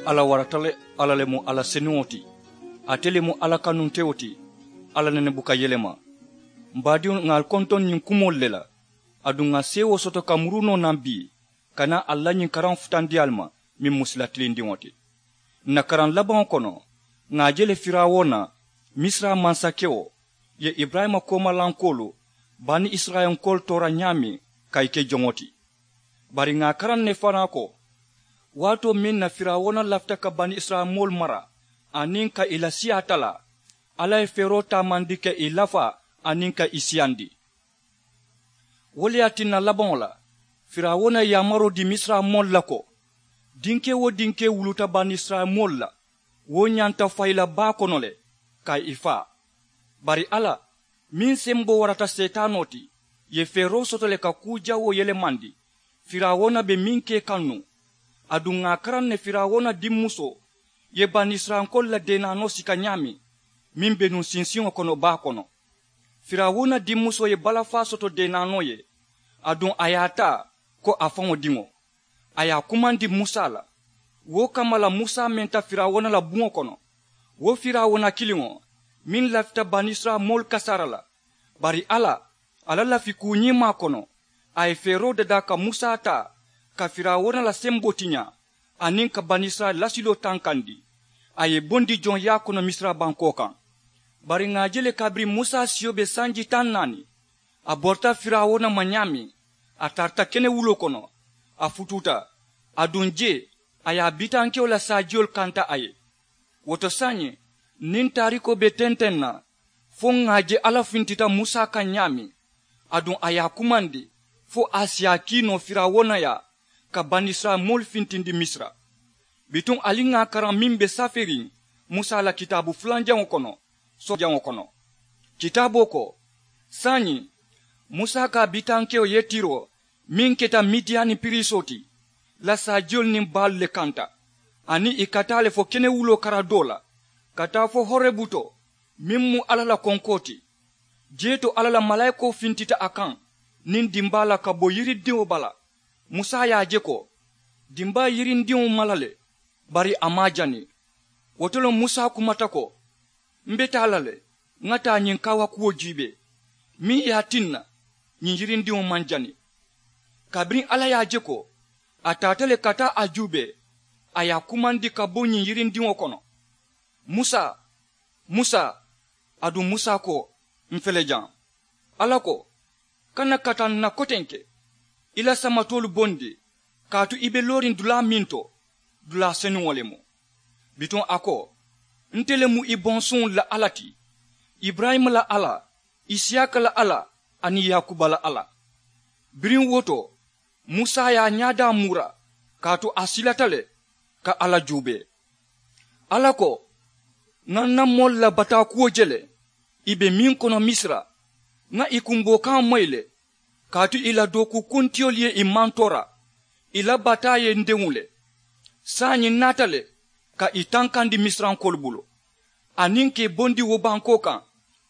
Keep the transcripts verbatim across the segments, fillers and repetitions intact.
Alla warata le. Alla le mu alla senuŋo ti. Ate le mu alla kanuntewo ti. Alla nene buka yelema. M baadiŋolu, ŋà ali kontoŋ ñiŋ kumoolu le la. Aduŋ ŋà seewoo soto ka murunoo naŋ bii, ka naa ali la ñiŋ karaŋo futandi ali ma, meŋ mu sila tilindiŋo ti. Ǹ na karaŋ labaŋo kono, ŋà a je le firawuna, misira mansakewo, ye iburayima koomalankoolu, bani isirayila nkoolu toora ñaameŋ, ka ì ke joŋo ti. Bari ŋà a karaŋ ne fanaa ko, waatoo meŋ na firawuna lafita ka bani isirayila moolu mara, aniŋ ka ì la siyaa talaa, alla ye feeroo taamandi ka ì lafaa, aniŋ ka ì siyandi. Wo le ye a tinna labaŋo la, firawuna ye yaamaroo dii misira moolu la ko, dinkee-wo-dinkee wuluta bani isirayila moolu la, wo ñanta fayi la baa kono le, ka ì faa. Bari alla, meŋ semboo warata seetaanoo ti, ye feeroo soto le ka kuu jawoo yelemandi. Firawuna be meŋ ke kaŋ nuŋ, aduŋ ŋà a karaŋ ne firawuna dimmusoo ye bani isirayilankoolu la deenaanoo sika ñaameŋ, meŋ be nuŋ sinsiŋo kono baa kono. Firawuna dimmusoo ye balafaa soto deenaanoo ye, aduŋ a ye a taa ko a faŋo diŋo. A ye a kumandi musa la. Wo kamma la musa menta firawuna la buŋo kono, wo firawuna kiliŋo meŋ lafita bani isirayila moolu kasaara la. Bari alla, a la lafi kuu ñiŋ maa kono, a ye feeroo dadaa ka musa taa, ka firawuna la semboo tiñaa, aniŋ ka bani isirayila lasiloo tankandi. A ye ì bondi joŋ yaa kono misira bankoo kaŋ. Bari ŋà a je le kabiriŋ musa siyo be sanji taŋ naani, a borita firawuna ma ñaameŋ, a tarata kenewuloo kono, a futuuta, aduŋ jee, a ye a bitankewo la saajiyolu kanta a ye. Wo to saayiŋ, niŋ taarikoo be tenteŋ na, fo ŋà a je alla fintita musa kaŋ ñaameŋ, aduŋ a ye a kumandi, fo a si a kii noo firawuna yaa, ka bani isirayila moolu fintindi misira. Bituŋ ali ŋà a karaŋ meŋ be saferiŋ musa la kitaabu fulanjaŋo kono, soojaŋo kono. Kitaaboo ko, saayiŋ, musa ka a bitankewo yetiroo meŋ keta midiyani piriisoo ti, la saajiyolu niŋ baalu le kanta, aniŋ ì ka taa le fo kenewuloo kara doo la, ka taa fo horebu to, meŋ mu alla la konkoo ti. Jee to alla la malaayikoo fintita a kaŋ niŋ dimbaa la ka bo yiridiŋo bala. Musa ye a je ko, dimbaa ye yirindiŋo mala le, bari a maŋ a jani. Wo to le musa kumata ko, m be taa la le, ŋa taa ñiŋ kaawakuwo juubee, meŋ ye a tinna ñiŋ yirindiŋo maŋ jani. Kabiriŋ alla ye a je ko, a taata le ka taa a juubee, a ye a kumandi ka bo ñiŋ yirindiŋo kono, musa, musa. Aduŋ musa ko, m fele jaŋ. Alla ko, kana kata n na kotenke, i la samatoolu bondi, kaatu i be looriŋ dulaa meŋ to, dulaa senuŋo le mu. Bituŋ a ko, nte le mu i bonsuŋolu la alla ti, iburayima la alla, isiyaaka la alla, aniŋ yaakuba la alla. Biriŋ wo to, musa ye a ñaadaa muura, kaatu a silata le ka alla juubee. Alla ko, ŋa n na moolu la bataakuwo je le, i be meŋ kono misira, ŋa i kumboo kaŋo moyi le, kaatu i la dookukuntiyoolu ye i mantoora, i la bataa ye n deŋ le. Saayiŋ n naata le ka i tankandi misirankoolu bulu, aniŋ ka i bondi wo bankoo kaŋ,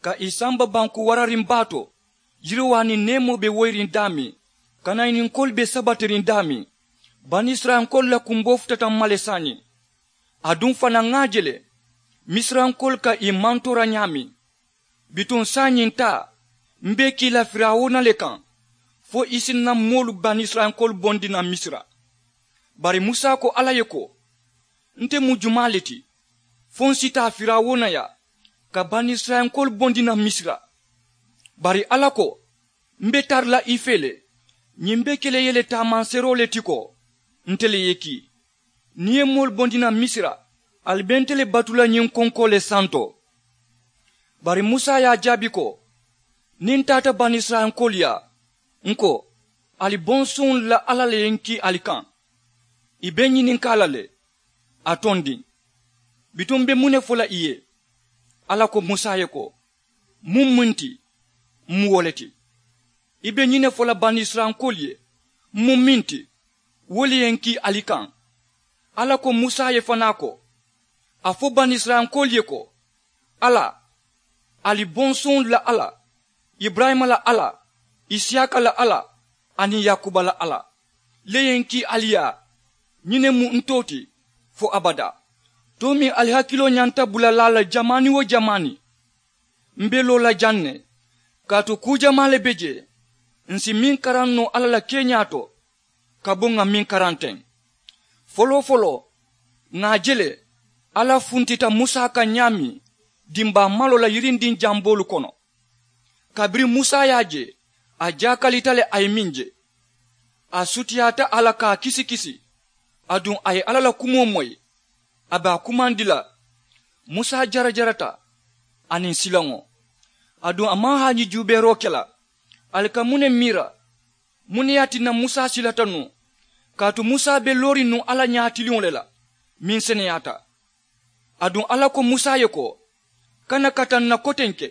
ka i samba banku warariŋ baa to, yiriwaa niŋ neemoo be woyiriŋ daameŋ, kanayininkoolu be sabatiriŋ daameŋ. Bani isirayilankoolu la kumboo futata m ma le saayiŋ. Aduŋ fanaa ŋa a je le, misirankoolu ka i mantoora ñaameŋ. Bituŋ saayiŋ taa, m be i kii la firawuna le kaŋ, fo i si n na moolu bani isirayilankoolu bondi naŋ misira. Bari musa ko alla ye ko, nte mu jumaa le ti, fo n si taa firawuna yaa, ka bani isirayilankoolu bondi naŋ misira? Bari alla ko, m be tara la i fee le, ñiŋ be ke la i ye le taamanseeroo le ti ko, nte le ye i kii. Niŋ i ye moolu bondi naŋ misira, ali be nte le batu la ñiŋ konkoo le santo. Bari musa ye a jaabi ko, niŋ n taata bani isirayilankoolu yaa, n ko, ali bonsuŋolu la alla le ye n kii ali kaŋ. I be ñininkaa la le, a tondiŋ. Bituŋ m be muŋ ne fo la i ye? Alla ko musa ye ko, muŋ muŋ ti, m mu wo le ti. I be ñiŋ ne fo la bani isirayilankoolu ye, m mu meŋ ti, wo le ye n kii ali kaŋ. Alla ko musa ye fanaa ko, a fo bani isirayilankoolu ye ko, alla, ali bonsuŋolu la alla, iburayima la alla, isiyaaka la alla, aniŋ yaakuba la alla, le ye n kii ali yaa. Ñiŋ ne mu n too ti, fo abadaa. Too meŋ ali hakiloo ñanta bula laa la jamaani-wo-jamaani, m be loo la jaŋ ne, kaatu kuu jamaa le be jee. Ǹ si meŋ karaŋ noo alla la keeñaa to ka bo ŋà meŋ karaŋ teŋ. Foloo-foloo, ŋà a je le alla funtita musa kaŋ ñaameŋ dimbaa maloo la yirindiŋ jamboolu kono. Kabiriŋ musa ye a je, a jaakalita le a ye meŋ je. A sutiyaata a la ka a kisi-kisi. Aduŋ a ye alla la kumoo moyi, a be a kumandi la. Musa jarajarata aniŋ silaŋo. Aduŋ a maŋ haaji juubeeroo ke la. Ali ka muŋ ne miira? Muŋ ne ye a tinna musa silata nuŋ? Kaatu musa be looriŋ nuŋ alla ñaatiliŋo le la meŋ seneyaata. Aduŋ alla ko musa ye ko, kana kata ǹ na kotenke,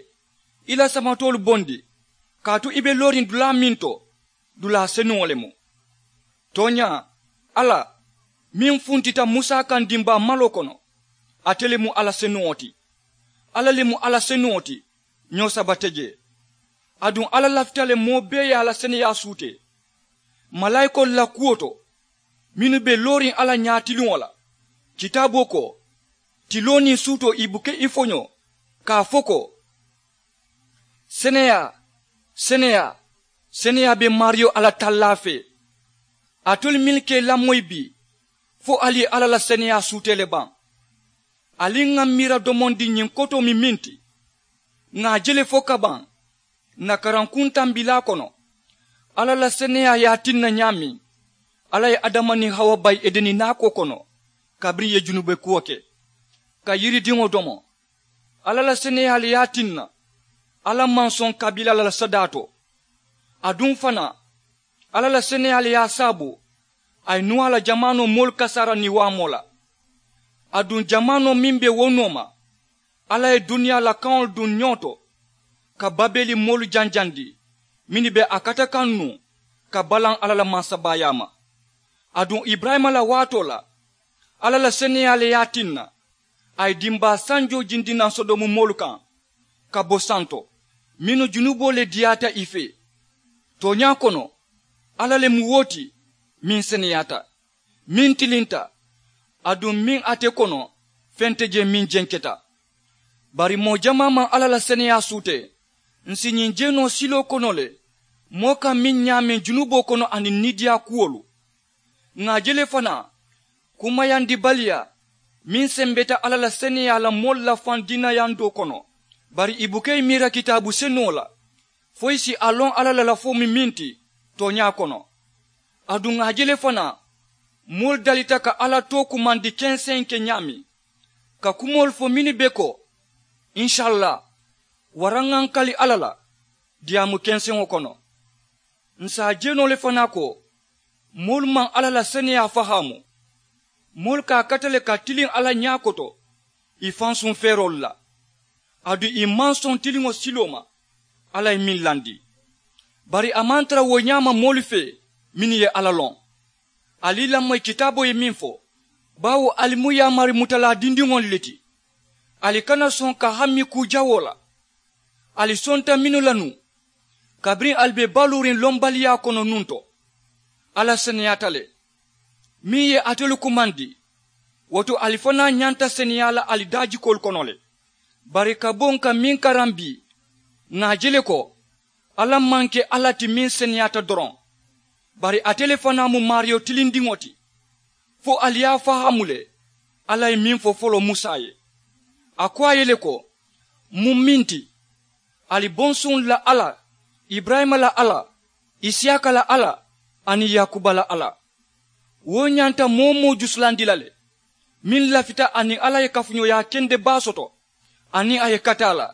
i la samatoolu bondi, kaatu i be looriŋ dulaa meŋ to, dulaa senuŋo le mu. Tooñaa, alla meŋ funtita musa kaŋ dimbaa maloo kono, ate le mu alla senuŋo ti. Alla le mu alla senuŋo ti, ñoo saba te jee. Aduŋ alla lafita le moo bee ye a la seneyaa suutee malaayikoolu la kuwo to, mennu be looriŋ alla ñaatiliŋo la. Kitaaboo ko, tiloo niŋ suutoo i buka i foñoo, ka a fo ko, seneyaa, seneyaa, seneyaa be maariyo alla tallaa fee. Alitolu mennu ka i lamoyi bii, fo ali ye alla la seneyaa suutee le baŋ? Ali ŋà miira domondi ñiŋ kotoo mi meŋ ti, ŋà a je le fo kabaŋ ǹ na karankuŋ tambilaa kono. Alla la seneyaa ye a tinna ñaameŋ alla ye adama niŋ hawa bayi edeni naakoo kono, kabiriŋ ì ye junube kuwo ke ka yiridiŋo domo. Alla la seneyaa le ye a tinna alla maŋ soŋ kabiila la la sadaa to. Aduŋ fanaa, alla la seneyaa le ye a saabu a ye nuwaa la jamaanoo moolu kasaara niwaamoo la. Aduŋ jamaanoo meŋ be wo nooma, alla ye duniyaa la kaŋolu duŋ ñoo to ka babeli moolu janjandi, mennu be a kata kaŋ nuŋ ka balaŋ alla la mansabaayaa ma. Aduŋ iburayima la waatoo la, alla la seneyaa le ye a tinna a ye dimbaa sanjoo jindi naŋ sodomu moolu kaŋ ka bo santo, mennu junuboo le diyaata ì fee. Tooñaa kono, alla le mu wo ti meŋ seneyaata, meŋ tilinta, aduŋ meŋ ate kono feŋ te jee meŋ jenketa. Bari moo jamaa maŋ alla la seneyaa suutee. Ǹ si ñiŋ jeenoo siloo kono le moo kaŋ meŋ ñaameŋ junuboo kono aniŋ niidiyaa kuwolu. Ŋà a je le fanaa, kumayandibaliyaa meŋ sembeta alla la seneyaa la moolu la faŋ diinayandoo kono. Bari ì buka ì miira kitaabu senuŋo la fo ì si a loŋ alla la lafoo mu meŋ ti tooñaa kono. Aduŋ ŋà a je le fanaa, moolu dalita ka alla too kumandi kenseŋ ke ñaameŋ, ka kumoolu fo mennu be ko, insalla, waraŋ ŋà ǹ kali alla la diyaamu kenseŋo kono. Ǹ si a je noo le fanaa ko, moolu maŋ alla la seneyaa fahaamu. Moolu ka a kata le ka tiliŋ alla ñaa koto ì fansuŋ feeroolu la. Aduŋ ì maŋ soŋ tiliŋo siloo ma alla ye meŋ landi. Bari a maŋ tara wo ñaama moolu fee mennu ye alla loŋ. Ali i lamoyi kitaaboo ye meŋ fo, baawo ali mu yaamari mutalaa dindiŋolu le ti. Ali kana soŋ ka hammi kuu jawoo la. Ali sonta mennu la nuŋ, kabiriŋ ali be baluuriŋ lombaliyaa kono nuŋ to, alla seneyaata le meŋ ye alitolu kumandi. Wo to ali fanaa ñanta seneyaa la ali daajikoolu kono le. Bari ka bo ǹ ka meŋ karaŋ bii, ŋà a je le ko, alla maŋ ke alla ti meŋ seneyaata doroŋ, bari ate le fanaa mu maariyo tilindiŋo ti. Fo ali ye a fahaamu le, alla ye meŋ fo foloo musa ye. A ko a ye le ko, muŋ meŋ ti, ali bonsuŋolu la alla, iburayima la alla, isiyaaka la alla, aniŋ yaakuba la alla. Wo ñanta moo-wo-moo jusulandi la le, meŋ lafita aniŋ alla ye kafuñooyaa kende baa soto, aniŋ a ye kata a la.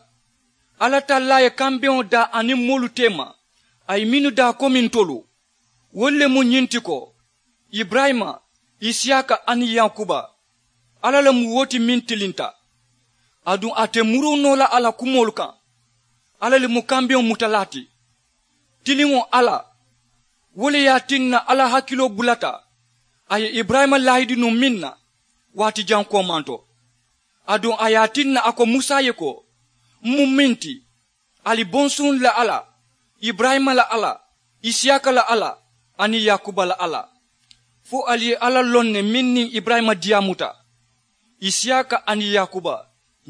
Alla tallaa ye kambeŋo daa aniŋ moolu teema, a ye mennu daa komi ntolu. Wolu le mu ñiŋ ti ko, iburayima, isiyaaka aniŋ yaakuba. Alla le mu wo ti meŋ tilinta. Aduŋ a te muruu noo la a la kumoolu kaŋ. Alla le mu kambeŋo mutalaa ti. Tiliŋo alla, wo le ye a tinna alla hakiloo bulata a ye iburayima laahidi nuŋ meŋ na, waati jaŋ koomanto. Aduŋ a ye a tinna a ko musa ye ko, m mu meŋ ti, ali bonsuŋolu la alla, iburayima la alla, isiyaaka la alla, aniŋ yaakuba la alla. Fo ali ye alla loŋ ne meŋ niŋ iburayima diyaamuta. Isiyaaka aniŋ yaakuba,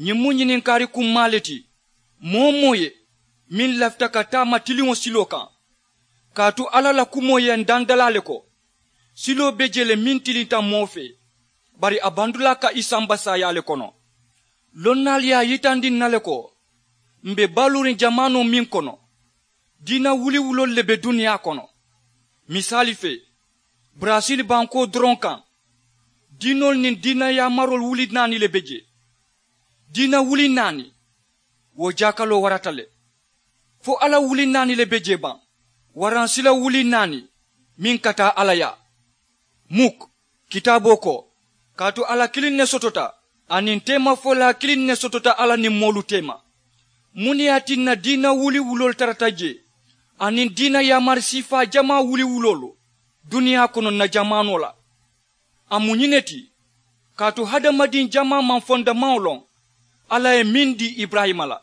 ñiŋ mu ñininkaari kummaa le ti. Moo-wo-moo ye meŋ lafita ka taama tiliŋo siloo kaŋ, kaatu alla la kumoo ye n dandalaa le ko, siloo be jee le meŋ tilinta moo fee, bari a bandulaa ka i samba saayaa le kono. Lonnaalu ye a yitandi n na le ko, m̀ be baluuriŋ jamaanoo meŋ kono, diina wuliwuloolu le be duniyaa kono. Misaali fee, baraasil bankoo doroŋ kaŋ, diinoolu niŋ diina yaamaroolu wuli naani le be jee. Diina wuli naani, wo jaakaloo warata le. Fo alla wuli naani le be jee baŋ, waraŋ sila wuli naani meŋ ka taa alla yaa. Muk, kitaaboo ko, kaatu alla kiliŋ ne sotota, aniŋ teemafolaa kiliŋ ne sotota alla niŋ moolu teema. Muŋ ne ye a tinna diina wuliwuloolu tarata jee, aniŋ diina yaamari siifaa jamaa wuliwuloolu duniyaa kono n na jamaanoo la? A mu ñiŋ ne ti, kaatu hadamadiŋ jamaa maŋ fondamaŋo loŋ alla ye meŋ dii iburayima la,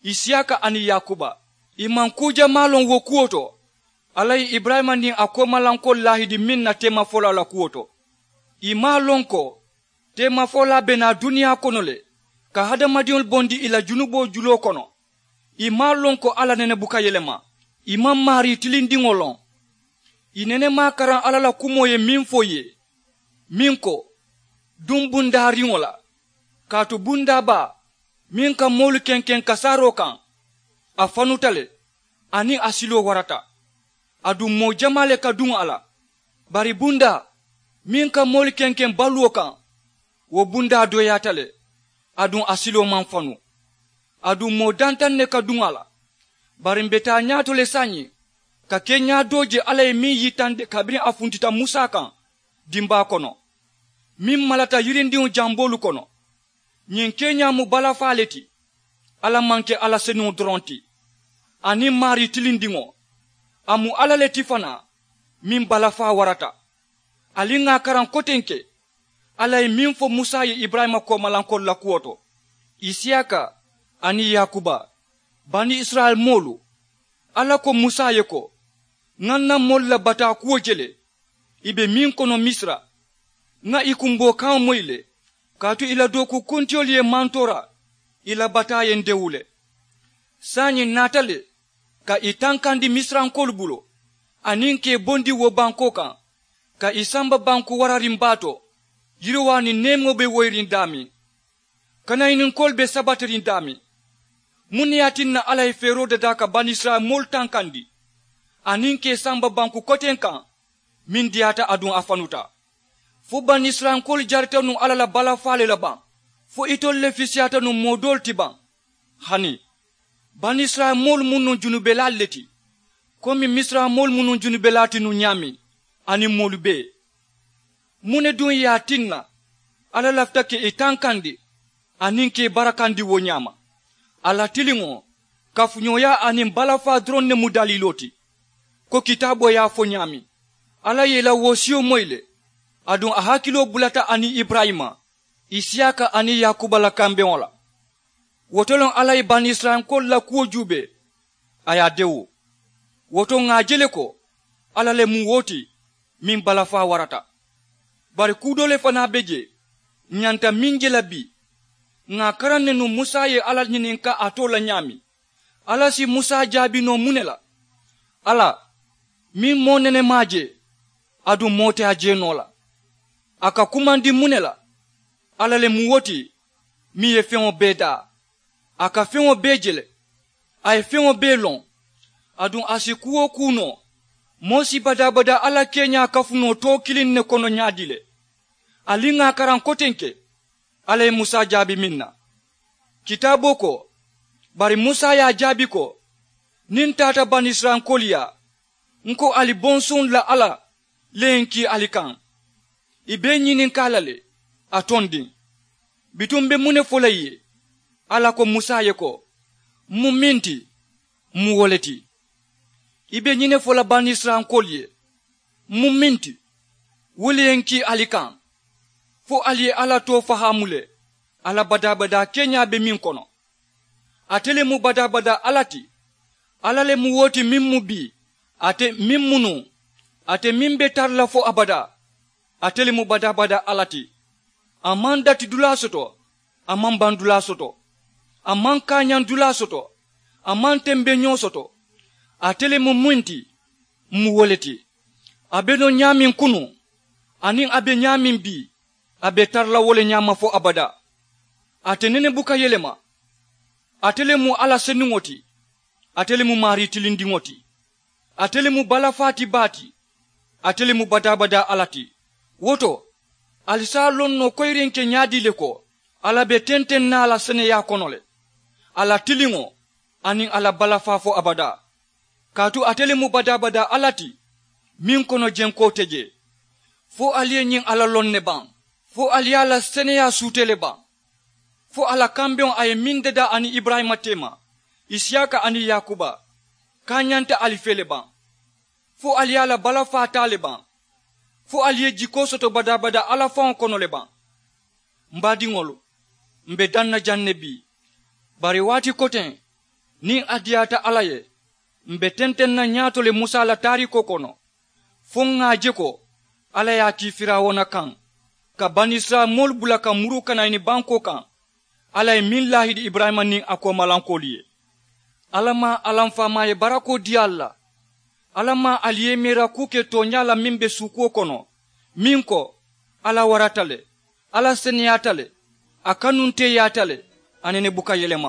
isiyaaka aniŋ yaakuba. I maŋ kuu jamaa loŋ wo kuwo to, alla ye iburayima niŋ a koomalankoolu laahidi meŋ na teemafolaa la kuwo to. I maŋ a loŋ ko teemafolaa be naa duniyaa kono le, ka hadamadiŋolu bondi i la junuboo juloo kono. I maŋ a loŋ ko alla nene buka yelema. I maŋ maarii tilindiŋo loŋ. I nene maŋ a karaŋ alla la kumoo ye meŋ fo i ye, meŋ ko, duŋ bundaariŋo la, kaatu bundaa baa meŋ ka moolu kenkeŋ kasaaroo kaŋ, a fanuta le, aniŋ a siloo warata. Aduŋ moo jamaa le ka duŋ a la. Bari bundaa meŋ ka moolu kenkeŋ baluwo kaŋ, wo bundaa dooyaata le, aduŋ a siloo maŋ fanu. Aduŋ moo dantaŋ ne ka duŋ a la. Bari m̀ be taa ñaato le saayiŋ, ka keeñaa doo je alla ye meŋ yitandi kabiriŋ a funtita musa kaŋ dimbaa kono, meŋ malata yirindiŋo jamboolu kono. Ñiŋ keeñaa mu balafaa le ti. Alla maŋ ke alla senuŋo doroŋ ti, aniŋ maarii tilindiŋo. A mu alla le ti fanaa, meŋ balafaa warata. Ali ŋà a karaŋ kotenke, alla ye meŋ fo musa ye iburayima koomalankoolu la kuwo to, isiyaaka aniŋ yaakuba, bani isirayila moolu. Alla ko musa ye ko, ŋà ǹ na moolu la bataa kuwo je le, i be meŋ kono misira. Ŋà i kumboo kaŋo moyi le, kaatu i la dooku kuntiyolu ye mantoora, i la bataa ye n dewu le. Saayiŋ ǹ naata le ka i tankandi misirankoolu bulu, aniŋ ka i bondi wo bankoo kaŋ, ka i samba banku warariŋ baa to, yiriwaa niŋ neemoo be woyiriŋ daameŋ, kanayininkoolu be sabatiriŋ daameŋ. Muŋ ne ye a tinna alla ye feeroo dadaa ka banisirayila moolu tankandi, aniŋ ka i samba banku koteŋ kaŋ meŋ diyaata aduŋ a fanuta? Fo banisirayilankoolu jarita nuŋ alla la balafaa le la baŋ? Fo itolu le fisiyaata nuŋ moo doolu ti baŋ? Hani, banisirayila moolu mu nuŋ junubelaalu le ti, komi misira moolu mu nuŋ junubelaa ti nuŋ ñaameŋ, aniŋ moolu bee. Muŋ ne duŋ ye a tinna alla lafita ka i tankandi aniŋ ka i barakandi wo ñaama? Alla tiliŋo, kafuñooyaa aniŋ balafaa doroŋ ne mu daliiloo ti. Ko kitaaboo ye a fo ñaameŋ, alla ye i la woosiyo moyi le, aduŋ a hakiloo bulata aniŋ iburayima, isiyaaka aniŋ yaakuba la kambeŋo la. Wo to loŋ alla ye banisirayilankoolu la kuwo juubee, a ye a dewu. Wo to ŋà a je le ko alla le mu wo ti meŋ balafaa warata. Bari kuu doo le fanaa be jee ǹ ñanta meŋ je la bii. Ŋà a karaŋ ne nuŋ musa ye alla ñininkaa a too la ñaameŋ. Alla si musa jaabi noo muŋ ne la? Alla, meŋ moo nene maŋ a je, aduŋ moo te a je noo la, a ka kumandi muŋ ne la? Alla le mu wo ti meŋ ye feŋo bee daa. A ka feŋo bee je le, a ye feŋo bee loŋ. Aduŋ a si kuu-wo-kuu noo, moo si badaa-badaa alla keeñaa kafu noo too kiliŋ ne kono ñaadii le? Ali ŋà a karaŋ kotenke, alla ye musa jaabi meŋ na. Kitaaboo ko, bari musa ye a jaabi ko, niŋ n taata banisirayilankoolu yaa, n ko ali bonsuŋolu la alla le ye n kii ali kaŋ. I be n ñininkaa la le, a tondiŋ. Bituŋ m be muŋ ne fo la i ye? Alla ko musa ye ko, m mu meŋ ti, m mu wo le ti. I be ñiŋ ne fo la banisirayilankoolu ye, m mu meŋ ti, wo le ye n kii ali kaŋ, fo ali ye alla too fahaamu le, alla badaa-badaa keeñaa be meŋ kono. Ate le mu badaa-badaa alla ti. Alla le mu wo ti meŋ mu bii, ate meŋ mu nuŋ, ate meŋ be tara la fo abadaa. Ate le mu badaa-badaa alla ti. A maŋ dati dulaa soto, a maŋ baŋ dulaa soto, a maŋ kaañaŋ dulaa soto, a maŋ tembeñoo soto. Ate le mu muŋ ti, m mu wo le ti. A be noo ñaameŋ kunuŋ, aniŋ a be ñaameŋ bii, a be tara la wo le ñaama fo abadaa. Ate nene buka yelema. Ate le mu alla senuŋo ti. Ate le mu maarii tilindiŋo ti. Ate le mu balafaa ti baa ti. Ate le mu badaa-badaa alla ti. Wo to, ali si a loŋ noo koyirinke ñaadii le ko, alla be tenteŋ na a la seneyaa kono le, a la tiliŋo, aniŋ a la balafaa fo abadaa. Kaatu ate le mu badaa-badaa alla ti, meŋ kono jenkoo te jee. Fo ali ye ñiŋ alla loŋ ne baŋ? Fo ali ye a la seneyaa suutee le baŋ? Fo a la kambeŋo a ye meŋ dadaa aniŋ iburayima teema, isiyaaka aniŋ yaakuba, kaañanta ali fee le baŋ? Fo ali ye a la balafaa taa le baŋ? Fo ali ye jikoo soto badaa-badaa alla faŋo kono le baŋ? M baadiŋolu, m be daŋ na jaŋ ne bii. Bari waati koteŋ, niŋ a diyaata alla ye, m be tenteŋ na ñaato le musa la taariikoo kono, fo ŋà a je ko alla ye a kii firawuna kaŋ, ka banisirayila moolu bula ka muruu kanayini bankoo kaŋ. Alla ye meŋ laahidi iburayima niŋ a koomalankoolu ye. Alla maŋ alla m faamaa ye barakoo dii ali la. Alla maŋ ali ye meera kuu ke tooñaa la meŋ be suukuwo kono, meŋ ko, alla warata le, alla seneyaata le, a kanunteeyaata le, a nene buka yelema.